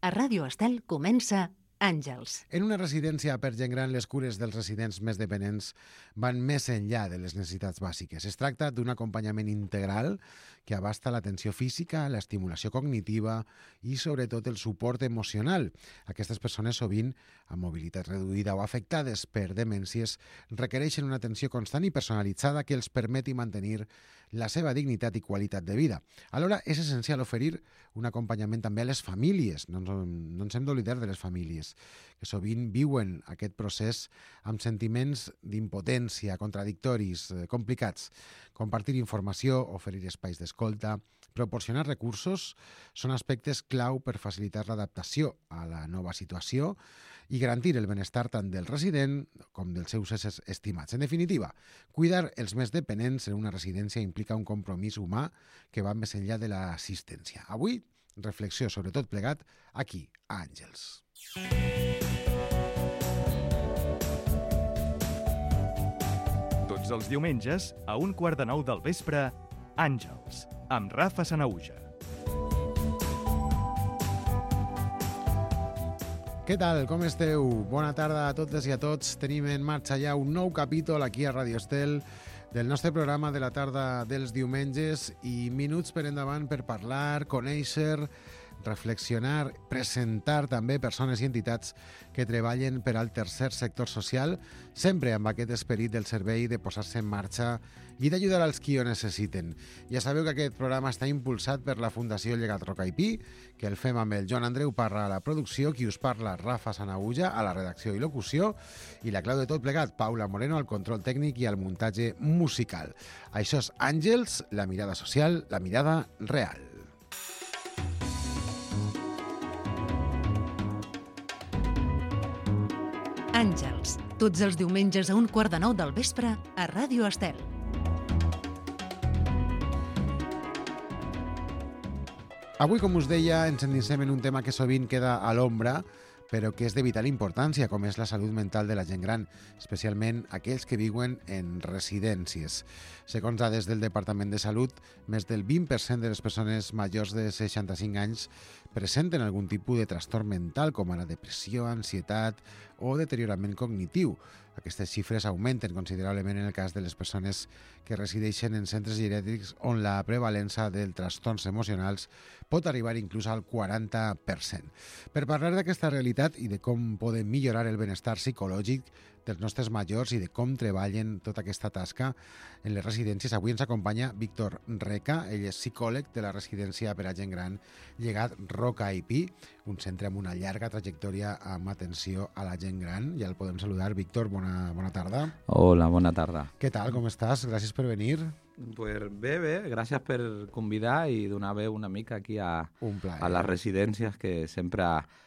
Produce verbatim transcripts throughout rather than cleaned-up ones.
A Ràdio Estel comença Àngels. En una residència per gent gran, les cures dels residents més dependents van més enllà de les necessitats bàsiques. Es tracta d'un acompanyament integral que abasta l'atenció física, l'estimulació cognitiva i, sobretot, el suport emocional. Aquestes persones, sovint amb mobilitat reduïda o afectades per demències, requereixen una atenció constant i personalitzada que els permeti mantenir la seva dignitat i qualitat de vida. Alhora, és essencial oferir un acompanyament també a les famílies. No ens, no ens hem d'oblidar de les famílies, que sovint viuen aquest procés amb sentiments d'impotència, contradictoris, eh, complicats. Compartir informació, oferir espais d'escolta, proporcionar recursos són aspectes clau per facilitar l'adaptació a la nova situació i garantir el benestar tant del resident com dels seus éssers estimats. En definitiva, cuidar els més dependents en una residència implica un compromís humà que va més enllà de l'assistència. Avui, reflexió sobre tot plegat aquí, a Àngels. Tots els diumenges, a un quart de nou del vespre, Àngels, amb Rafa Sanauja. Què tal? Com esteu? Bona tarda a totes i a tots. Tenim en marxa ja un nou capítol aquí a Ràdio Estel del nostre programa de la tarda dels diumenges i minuts per endavant per parlar, conèixer, reflexionar, presentar també persones i entitats que treballen per al tercer sector social, sempre amb aquest esperit del servei de posar-se en marxa i d'ajudar als qui ho necessiten. Ja sabeu que aquest programa està impulsat per la Fundació Llegat Roca i Pi, que el fem amb el Joan Andreu Parra a la producció, qui us parla Rafa Sanauja a la redacció i locució, i la clau de tot plegat, Paula Moreno al control tècnic i al muntatge musical. Això és Àngels, la mirada social, la mirada real. Àngels, tots els diumenges a un quart de nou del vespre a Ràdio Estel. Avui, com us deia, ens endinsem en un tema que sovint queda a l'ombra, però que és de vital importància, com és la salut mental de la gent gran, especialment aquells que viuen en residències. Segons dades del Departament de Salut, més del vint per cent de les persones majors de seixanta-cinc anys presenten algun tipus de trastorn mental, com ara depressió, ansietat o deteriorament cognitiu. Aquestes xifres augmenten considerablement en el cas de les persones que resideixen en centres geriàtrics on la prevalença dels trastorns emocionals pot arribar inclús al quaranta per cent. Per parlar d'aquesta realitat i de com podem millorar el benestar psicològic dels nostres majors i de com treballen tota aquesta tasca en les residències, avui ens acompanya Víctor Reca. Ell és psicòleg de la residència per a gent gran Llegat Roca i Pi, un centre amb una llarga trajectòria amb atenció a la gent gran. Ja el podem saludar. Víctor, bona, bona tarda. Hola, bona tarda. Què tal, com estàs? Gràcies per venir. Pues bé, bé, gràcies per convidar i donar veu una mica aquí a, a les residències que sempre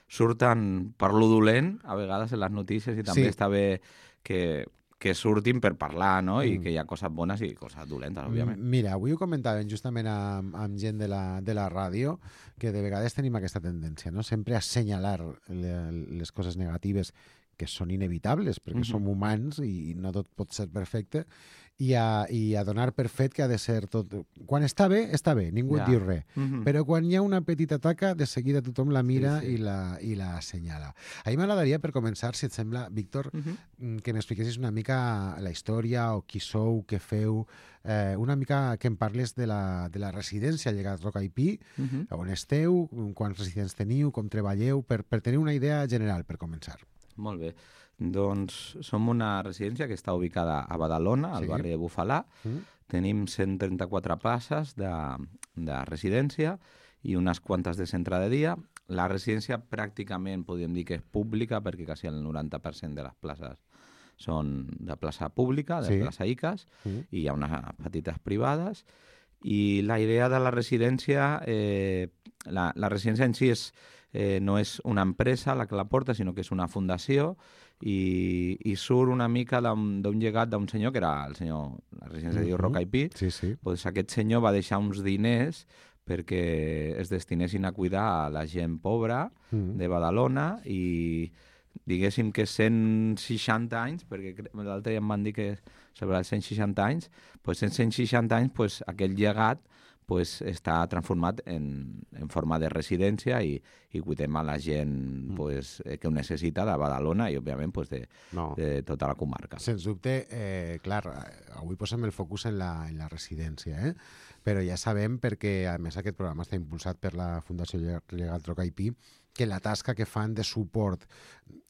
surten per lo dolent, a vegades en les notícies, i també sí. Està bé que, que surtin per parlar, no? I mm. que hi ha coses bones i coses dolentes, òbviament. Mira, avui ho comentàvem justament amb, amb gent de la, de la ràdio, que de vegades tenim aquesta tendència, no? Sempre a assenyalar les coses negatives que són inevitables, perquè mm-hmm. som humans i no tot pot ser perfecte, i a, i a donar per fet que ha de ser tot... Quan està bé, està bé, ningú ja. Et diu res. Mm-hmm. Però quan hi ha una petita taca, de seguida tothom la mira sí, sí. i la, i la assenyala. A mi m'agradaria, per començar, si et sembla, Víctor, mm-hmm. que m'expliquessis una mica la història o qui sou, què feu, eh, una mica que em parles de la, de la residència Llegat Roca i Pi, mm-hmm. on esteu, quants residents teniu, com treballeu, per, per tenir una idea general, per començar. Molt bé. Doncs som una residència que està ubicada a Badalona, al sí. barri de Bufalà. Mm. Tenim cent trenta-quatre places de, de residència i unes quantes de centre de dia. La residència pràcticament podríem dir que és pública, perquè quasi el noranta per cent de les places són de plaça pública, de sí. plaça I C A S, mm. i hi ha unes petites privades. I la idea de la residència, eh, la, la residència en si és, eh, no és una empresa la que la porta, sinó que és una fundació, i, i surt una mica d'un llegat d'un senyor, que era el senyor, la residència uh-huh. diu Roca i Pi. Sí, sí. Pues aquest senyor va deixar uns diners perquè es destinessin a cuidar a la gent pobra uh-huh. de Badalona, i diguéssim que cent seixanta anys, perquè l'altre dia em van dir que sobre els cent seixanta anys, pues en cent seixanta anys pues, aquell llegat pues, està transformat en, en forma de residència i, i cuidem a la gent pues, que ho necessita de Badalona i, òbviament, pues, de, No. de tota la comarca. Sens dubte, eh, clar, avui posem el focus en la, en la residència, eh? Però ja sabem, perquè a més aquest programa està impulsat per la Fundació Legal Troca i Pi, que la tasca que fan de suport,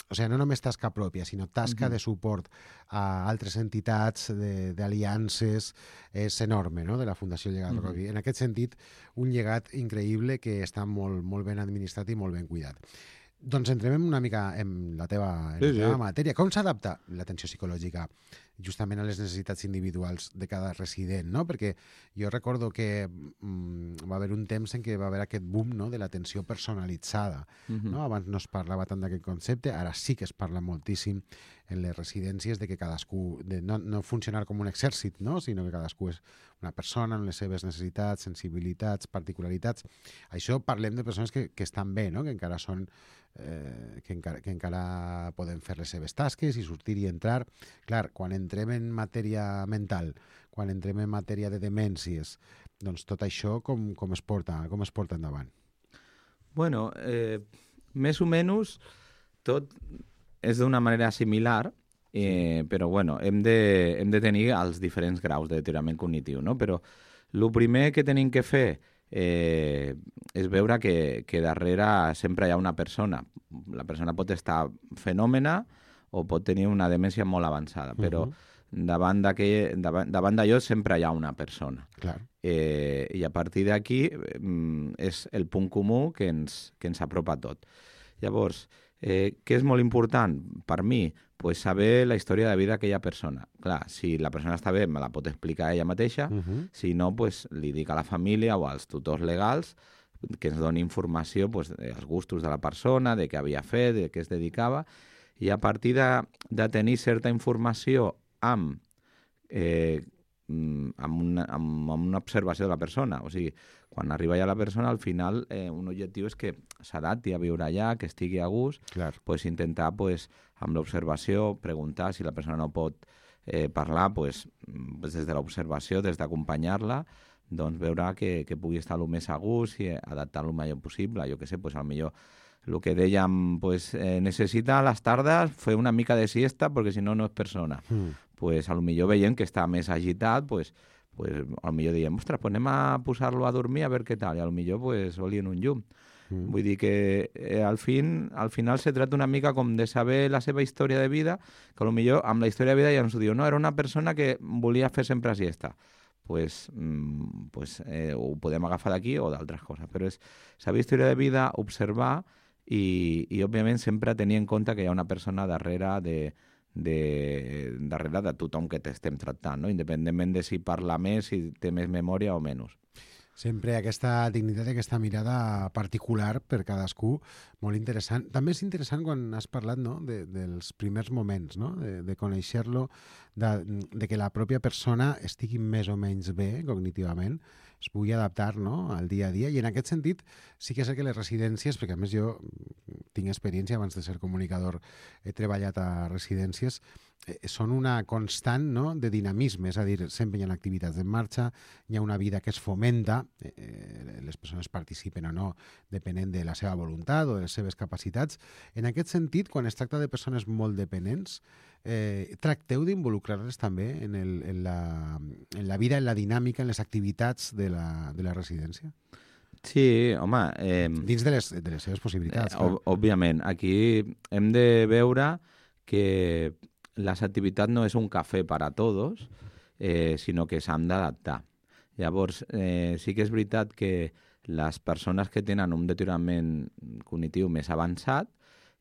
o sigui, no només tasca pròpia, sinó tasca uh-huh. de suport a altres entitats, d'aliances, és enorme, no?, de la Fundació Legal Troca i Pi. Uh-huh. En aquest sentit, un llegat increïble que està molt, molt ben administrat i molt ben cuidat. Doncs entrem una mica en la teva, en sí, la teva sí. matèria. Com s'adapta l'atenció psicològica justament a les necessitats individuals de cada resident, no? Perquè jo recordo que mm, va haver un temps en què va haver aquest boom, no?, de l'atenció personalitzada. Uh-huh. No? Abans no es parlava tant d'aquest concepte, ara sí que es parla moltíssim en les residències de que cadascú, de no, no funcionar com un exèrcit, no?, sinó que cadascú és una persona amb les seves necessitats, sensibilitats, particularitats. Això parlem de persones que, que estan bé, no?, que encara són eh, que, encara, que encara poden fer les seves tasques i sortir i entrar. Clar, quan entrem en matèria mental, quan entrem en matèria de demències, doncs tot això com, com, es, porta, com es porta endavant? Bueno, eh, més o menys tot és d'una manera similar, eh, però bueno, hem de, hem de tenir els diferents graus de deteriorament cognitiu, no? Però el primer que tenim que fer eh, és veure que, que darrere sempre hi ha una persona. La persona pot estar fenòmena o pot tenir una demència molt avançada, però uh-huh. davant davant, davant d'allò sempre hi ha una persona. Clar. Eh, I a partir d'aquí mm, és el punt comú que ens, que ens apropa a tot. Llavors, eh, què és molt important per mi? Pues saber la història de vida d'aquella persona. Clar, si la persona està bé, me la pot explicar ella mateixa, uh-huh. si no, pues, li dic a la família o als tutors legals que ens doni informació pues, dels gustos de la persona, de què havia fet, de què es dedicava, i a partir de, de tenir certa informació amb, eh, amb, una, amb, amb una observació de la persona, o sigui, quan arriba ja la persona, al final eh, un objectiu és que s'adapti a viure allà, que estigui a gust, pues, intentar pues, amb l'observació preguntar si la persona no pot eh, parlar, pues, pues, des de l'observació, des d'acompanyar-la, doncs veure que, que pugui estar el més a gust i adaptar el millor possible. Jo què sé, pues, potser el que dèiem, pues, eh, necessita a les tardes fer una mica de siesta perquè si no, no és persona. Mm. Pues, potser veiem que està més agitat, pues, pues, potser diem, ostres, pues anem a posar-lo a dormir a veure què tal, i potser pues, olien un llum. Mm. Vull dir que eh, al, fin, al final se trata una mica com de saber la seva història de vida, que potser amb la història de vida ja ens ho diu, no, era una persona que volia fer sempre siesta. Pues, mm, pues, eh, ho podem agafar d'aquí o d'altres coses, però és saber història de vida, observar i, i òbviament sempre tenir en compte que hi ha una persona darrere de, de, darrere de tothom que t'estem tractant, no? Independentment de si parla més, si té més memòria o menys. Sempre aquesta dignitat i aquesta mirada particular per cadascú, molt interessant. També és interessant quan has parlat, no?, de, dels primers moments, no?, de, de conèixer-lo, de, de que la pròpia persona estigui més o menys bé cognitivament, es pugui adaptar, no?, al dia a dia. I en aquest sentit sí que és que les residències, perquè a més jo tinc experiència, abans de ser comunicador he treballat a residències, eh, són una constant, no?, de dinamisme, és a dir, sempre hi ha activitats en marxa, hi ha una vida que es fomenta, eh, les persones participen o no, depenent de la seva voluntat o de les seves capacitats. En aquest sentit, quan es tracta de persones molt dependents, eh, tracteu d'involucrar-les també en, el, en, la, en la vida, en la dinàmica, en les activitats de la, de la residència? Sí, home... Eh, Dins de les, de les seves possibilitats. Eh, òbviament, aquí hem de veure que les activitats no és un cafè per a tots, eh, sinó que s'han d'adaptar. Llavors, eh, sí que és veritat que les persones que tenen un deteriorament cognitiu més avançat,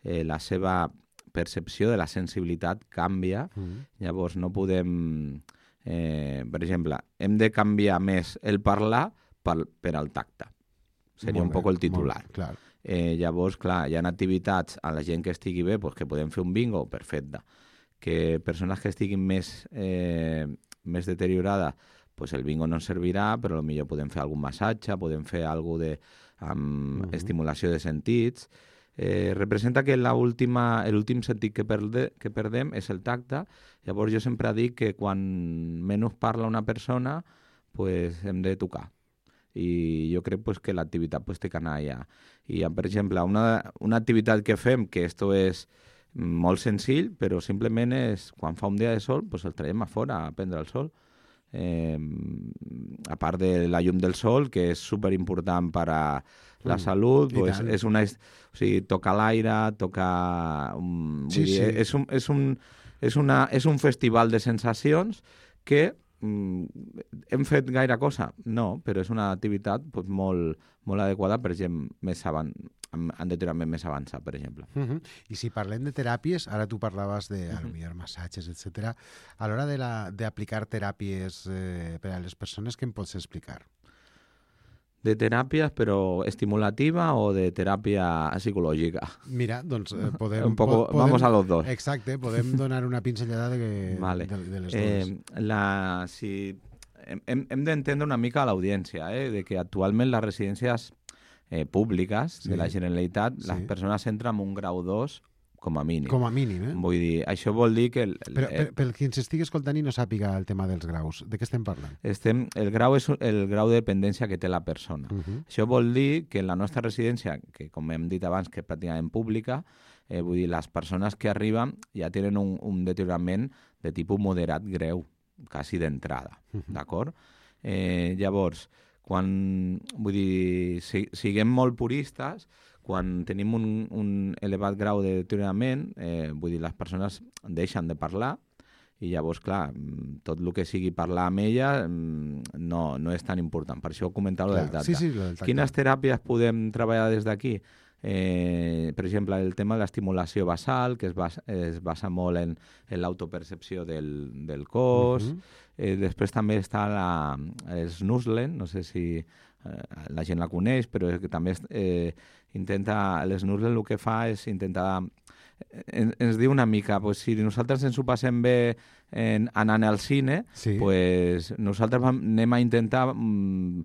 eh, la seva percepció de la sensibilitat canvia. Mm. Llavors, no podem... Eh, per exemple, hem de canviar més el parlar per, per al tacte. Seria molt un poc el titular. Clar. Eh, llavors, clar, hi ha activitats a la gent que estigui bé, pues, que podem fer un bingo, perfecte. Que persones que estiguin més, eh, més deteriorades, pues el bingo no ens servirà, però potser podem fer algun massatge, podem fer alguna de amb uh-huh. estimulació de sentits. Eh, representa que l'últim sentit que, perde, que perdem és el tacte. Llavors jo sempre dic que quan menys parla una persona, pues hem de tocar. i jo crec pues, que l'activitat pues, té que anar allà. I, per exemple, una, una activitat que fem, que esto és molt senzill, però simplement és, quan fa un dia de sol, pues, el traiem a fora a prendre el sol. Eh, a part de la llum del sol, que és superimportant per a la mm, salut, pues, és una, o sigui, tocar l'aire, tocar... Um, sí, vull dir, sí. És, un, és, un, és, una, és un festival de sensacions que um, hem fet gaire cosa? No, però és una activitat pues, molt, molt adequada per gent més avant, en deteriorament més avançat, per exemple. Uh -huh. I si parlem de teràpies, ara tu parlaves de uh -huh. massatges, etcètera. A l'hora d'aplicar teràpies eh, per a les persones, què em pots explicar? De teràpies, però estimulativa o de teràpia psicològica? Mira, doncs eh, podem, Un poco, podem... Vamos a los dos. Exacte, podem donar una pinzellada de, vale. de, de les eh, dues. La, si, hem hem d'entendre una mica a l'audiència, eh, de que actualment les residències eh, públiques sí. de la Generalitat, sí. les persones entren amb un grau dos com a mínim. Com a mínim, eh? Vull dir, això vol dir que... El, el, Però per, per qui ens estigui escoltant i no sàpiga el tema dels graus, de què estem parlant? Estem, el grau és el grau de dependència que té la persona. Uh -huh. Això vol dir que en la nostra residència, que com hem dit abans, que és pràcticament pública, eh, vull dir, les persones que arriben ja tenen un, un deteriorament de tipus moderat greu, quasi d'entrada, uh -huh. d'acord? Eh, llavors, quan, vull dir, si, siguem molt puristes, quan tenim un, un elevat grau de deteriorament, eh, vull dir, les persones deixen de parlar i llavors, clar, tot el que sigui parlar amb ella no, no és tan important. Per això comentava el del tacte. Sí, sí, del tacte. Quines teràpies podem treballar des d'aquí? Eh, per exemple, el tema de l'estimulació basal, que es basa, es basa molt en, en l'autopercepció del, del cos. Uh -huh. eh, després també està la, el snuzzling, no sé si eh, la gent la coneix, però que també eh, intenta, el snuzzling el que fa és intentar... En, ens diu una mica, pues, si nosaltres ens ho passem bé en, anant al cine, sí. pues, nosaltres vam, anem a intentar mm,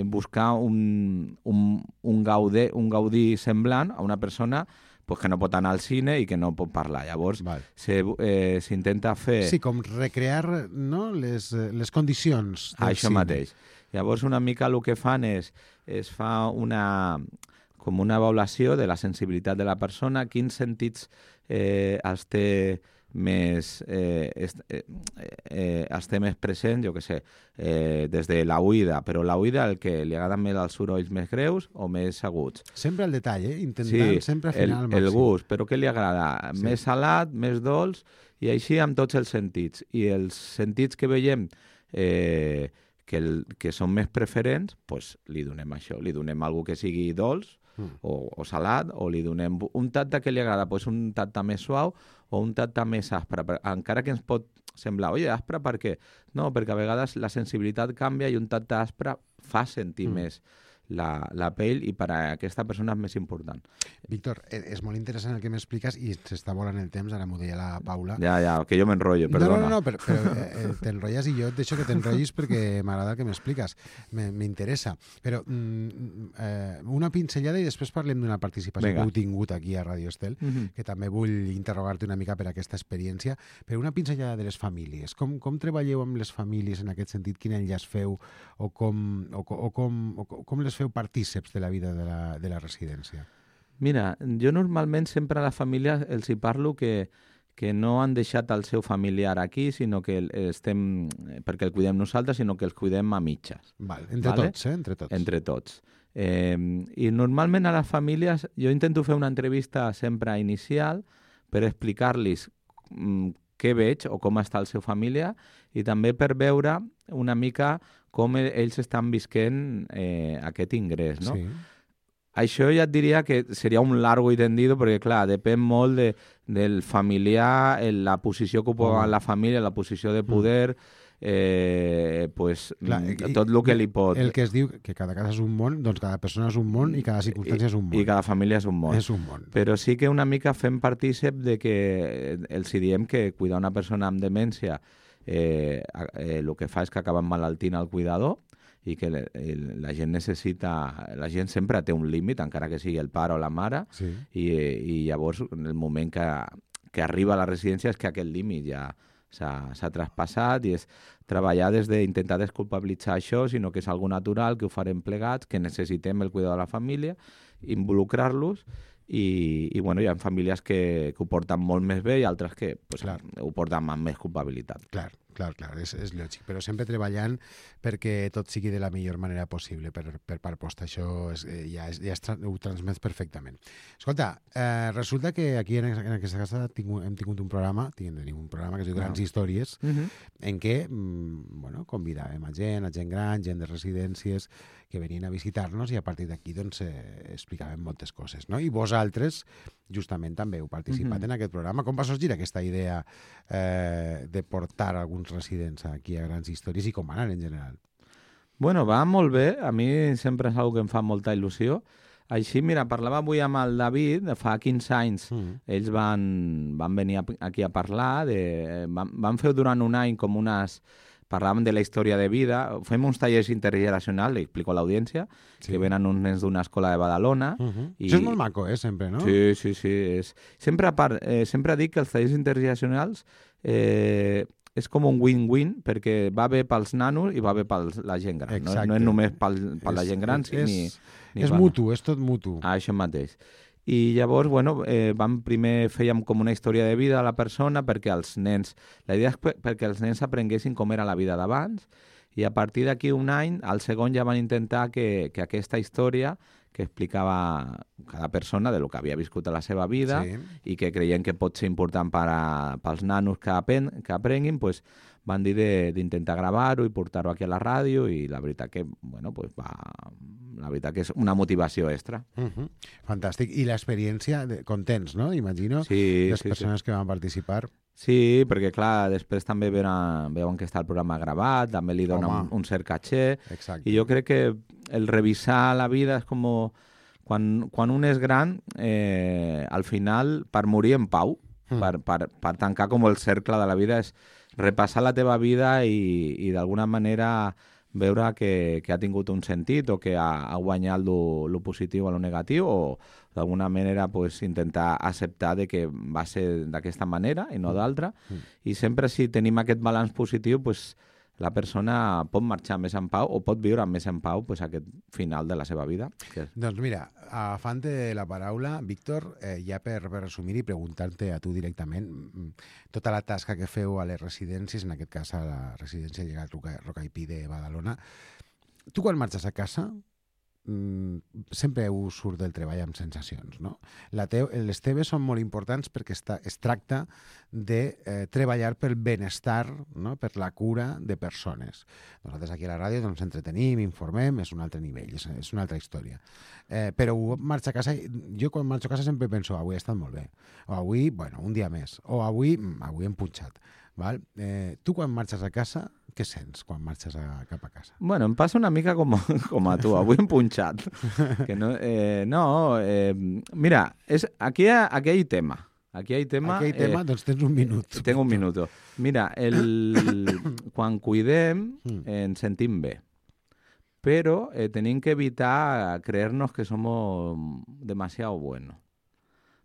buscar un, un, un, gaude, un gaudí semblant a una persona pues, que no pot anar al cine i que no pot parlar. Llavors, s'intenta eh, fer... Sí, com recrear, no, les, les condicions del Això cine. mateix. Llavors, una mica el que fan és, es fa una... com una avaluació de la sensibilitat de la persona, quins sentits eh, els té més, eh, est, eh, eh, els té més present, jo què sé, eh, des de la oïda, però la oïda el que li agraden més els sorolls més greus o més aguts. Sempre el detall, eh? Intentant sí, sempre afinar el, al màxim. el gust, però què li agrada? Sí. Més salat, més dolç, i així amb tots els sentits. I els sentits que veiem eh, que, el, que són més preferents, pues, li donem això, li donem alguna que sigui dolç, O, o salat, o li donem un tacte que li agrada, pues un tacte més suau o un tacte més aspre, encara que ens pot semblar, oi, aspre per què? No, perquè a vegades la sensibilitat canvia i un tacte aspre fa sentir mm. més la, la pell i per a aquesta persona és més important. Víctor, és molt interessant el que m'expliques i s'està volant el temps, ara m'ho deia la Paula. Ja, ja, que jo m'enrotllo, perdona. No, no, no, però, però eh, t'enrotlles i jo et deixo que t'enrotllis perquè m'agrada el que m'expliques, m'interessa. Però mm, eh, una pinzellada i després parlem d'una participació Venga. que heu tingut aquí a Radio Estel, uh -huh. que també vull interrogar-te una mica per aquesta experiència, però una pinzellada de les famílies. Com, com treballeu amb les famílies en aquest sentit? Quin enllaç feu o com, o, o com, o com les feu partíceps de la vida de la, de la residència? Mira, jo normalment sempre a la família els hi parlo que, que no han deixat el seu familiar aquí, sinó que estem, perquè el cuidem nosaltres, sinó que els cuidem a mitges. Val, entre vale? tots, eh? Entre tots. Entre tots. Eh, I normalment a les famílies jo intento fer una entrevista sempre inicial per explicar-los mm, què veig o com està el seu família i també per veure una mica com ells estan visquent eh, aquest ingrés, no? Sí. Això ja et diria que seria un largo i tendido perquè, clar, depèn molt de, del familiar, la posició que ocupa oh. la família, la posició de poder, eh, pues, clar, i, tot el que li pot... El que es diu que cada casa és un món, doncs cada persona és un món i cada circumstància és un món. I cada família és un món. És un món. Però sí que una mica fem partícip de que els diem que cuidar una persona amb demència eh, eh, el que fa és que acaba malaltint el cuidador i que la, la gent necessita... La gent sempre té un límit, encara que sigui el pare o la mare, sí. i, i llavors en el moment que, que arriba a la residència és que aquest límit ja, s'ha traspassat i és treballar des d'intentar desculpabilitzar això, sinó que és algo natural, que ho farem plegats, que necessitem el cuidado de la família, involucrar-los i, i bueno, hi ha famílies que, que ho porten molt més bé i altres que pues, ho porten amb més culpabilitat. Clar, clar, clar, és, és lògic, però sempre treballant perquè tot sigui de la millor manera possible per, per part posta. Això és, ja, és, ja es, ho transmet perfectament. Escolta, eh, resulta que aquí en, en aquesta casa tinc, hem tingut un programa, tenim un programa que es diu Grans no. Històries, uh -huh. en què mm, bueno, convidàvem a gent, a gent gran, gent de residències, que venien a visitar-nos i a partir d'aquí doncs, eh, explicàvem moltes coses. No? I vosaltres, justament, també heu participat uh -huh. en aquest programa. Com va sorgir aquesta idea eh, de portar alguns residents aquí a Grans Històries i com va anar en general? Bueno, va molt bé. A mi sempre és una que em fa molta il·lusió. Així, mira, parlava avui amb el David, fa quinze anys, mm. ells van, van venir aquí a parlar, de, van, van fer durant un any com unes... Parlàvem de la història de vida, fem uns tallers intergeneracionals, li explico a l'audiència, sí. que venen uns nens d'una escola de Badalona. Uh -huh. I... Això és molt maco, eh, sempre, no? Sí, sí, sí. És... Sempre, a part, eh, sempre dic que els tallers intergeneracionals eh, és com un win-win, perquè va bé pels nanos i va bé per la gent gran. No, no és només pel, per la gent gran, és, ni... ni és mutu, és tot mutu. Ah, això mateix. I llavors, bueno, eh, vam primer fèiem com una història de vida a la persona perquè els nens... La idea és perquè els nens aprenguessin com era la vida d'abans i a partir d'aquí un any, al segon ja van intentar que, que aquesta història que explicava cada persona de lo que havia viscut a la seva vida sí. i que creien que pot ser important per a, pels nanos que, apen, que aprenguin, pues, van dir d'intentar gravar-ho i portar-ho aquí a la ràdio i la veritat que, bueno, pues va... La veritat que és una motivació extra. Uh -huh. Fantàstic. I l'experiència, de... contents, no? Imagino, sí, les sí, persones sí. que van participar. Sí, perquè, clar, després també veuen, veuen que està el programa gravat, també li dona un, un cert caché. Exacte. I jo crec que el revisar la vida és com... Quan, quan un és gran, eh, al final, per morir en pau, mm. per, per, per tancar com el cercle de la vida, és repassar la teva vida i, i d'alguna manera... veure que, que ha tingut un sentit o que ha, ha guanyat lo, lo positiu a lo negatiu o d'alguna manera pues, intentar acceptar de que va ser d'aquesta manera i no d'altra. Mm. I sempre si tenim aquest balanç positiu, pues, la persona pot marxar més en pau o pot viure més en pau pues, aquest final de la seva vida. Que... Doncs mira, agafant-te la paraula, Víctor, eh, ja per, per resumir i preguntar-te a tu directament tota la tasca que feu a les residències, en aquest cas a la residència Llegat Roca i Pi de Badalona. Tu quan marxes a casa sempre us surt del treball amb sensacions, no? La teu, les teves són molt importants perquè està, es tracta de eh, treballar pel benestar, no? Per la cura de persones. Nosaltres aquí a la ràdio ens entretenim, informem, és un altre nivell, és, és una altra història. Eh, però marxar a casa, jo quan marxo a casa sempre penso, avui ha estat molt bé, o avui, bueno, un dia més, o avui, avui hem punxat. Val? Eh, tu quan marxes a casa, què sents quan marxes a, cap a casa? Bueno, em passa una mica com, com a tu, avui hem punxat. Que no, eh, no eh, mira, és, aquí, aquí hi ha tema. Aquí hi ha tema. Aquí hi ha tema, eh, doncs tens un minut. Tengo un minuto. Mira, el, quan cuidem ens sentim bé, però eh, tenim que evitar creernos que somos demasiado buenos.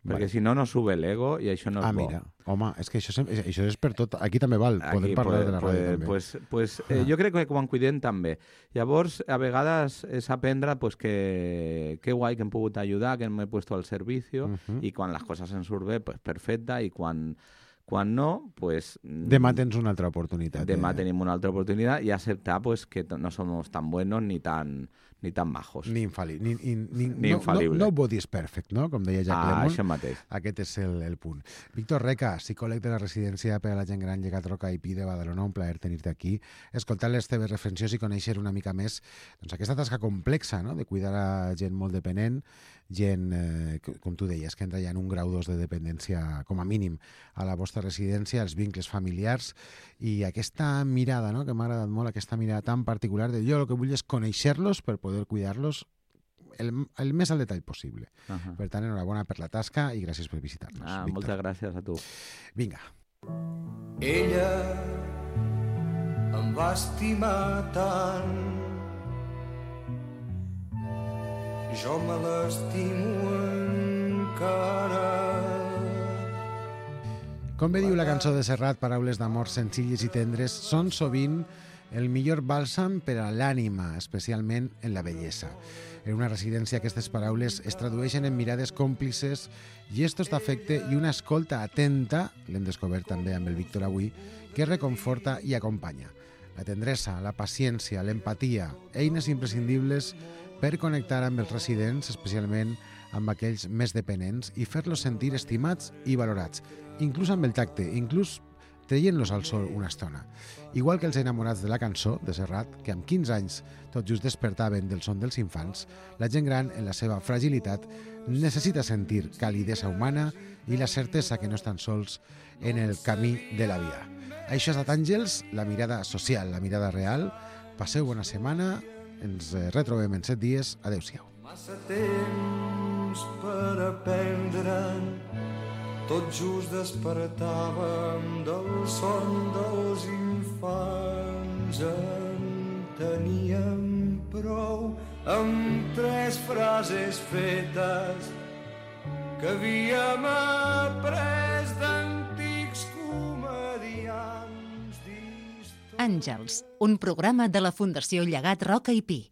Perquè vale. Si no, no sube l'ego i això no és ah, bo. Ah, mira, home, és que això, això és per tot. Aquí també val, podem parlar pues, de la ràdio pues, també. Pues, pues, eh, jo crec que quan cuidem també. Llavors, a vegades és aprendre pues, que, que guai que hem pogut ajudar, que m'he puesto al servici, uh -huh. i quan les coses ens surt bé, pues, perfecte, i quan, quan no, pues... Demà tens una altra oportunitat. Demà eh? tenim una altra oportunitat i acceptar pues, que no somos tan buenos ni tan... ni tan majos. Ni infal·li... Ni, ni, ni, ni no, infal·lible. No, nobody is perfect, no? Com deia Jack ah, Lemmon. Això mateix. Aquest és el, el punt. Víctor Reca, psicòleg de la residència per a la gent gran Llegat Roca i Pi de Badalona, un plaer tenir-te aquí, escoltar les teves reflexions i conèixer una mica més doncs, aquesta tasca complexa, no? De cuidar a gent molt dependent, gent, eh, com tu deies, que entra ja en un grau dos de dependència, com a mínim, a la vostra residència, els vincles familiars, i aquesta mirada, no? Que m'ha agradat molt, aquesta mirada tan particular de jo el que vull és conèixer-los per poder cuidar-los el, el més al detall possible. Uh -huh. Per tant, enhorabona per la tasca i gràcies per visitar-nos. Ah, moltes gràcies a tu. Vinga. Ella em va estimar tant, jo me l'estimo encara. Com bé diu la cançó de Serrat, paraules d'amor senzilles i tendres són sovint el millor bàlsam per a l'ànima, especialment en la bellesa. En una residència aquestes paraules es tradueixen en mirades còmplices, gestos d'afecte i una escolta atenta, l'hem descobert també amb el Víctor avui, que reconforta i acompanya. La tendresa, la paciència, l'empatia, eines imprescindibles per connectar amb els residents, especialment amb aquells més dependents, i fer-los sentir estimats i valorats, inclús amb el tacte, inclús traient-los al sol una estona. Igual que els enamorats de la cançó de Serrat, que amb quinze anys tot just despertaven del son dels infants, la gent gran, en la seva fragilitat, necessita sentir calidesa humana i la certesa que no estan sols en el camí de la vida. Això és Àngels, la mirada social, la mirada real. Passeu bona setmana, ens retrobem en set dies. Adéu-siau. Massa temps per aprendre'n, tot just despertàvem del son dels infants. En teníem prou amb tres frases fetes que havíem après d'antics comediants. Àngels, un programa de la Fundació Llegat Roca i Pi.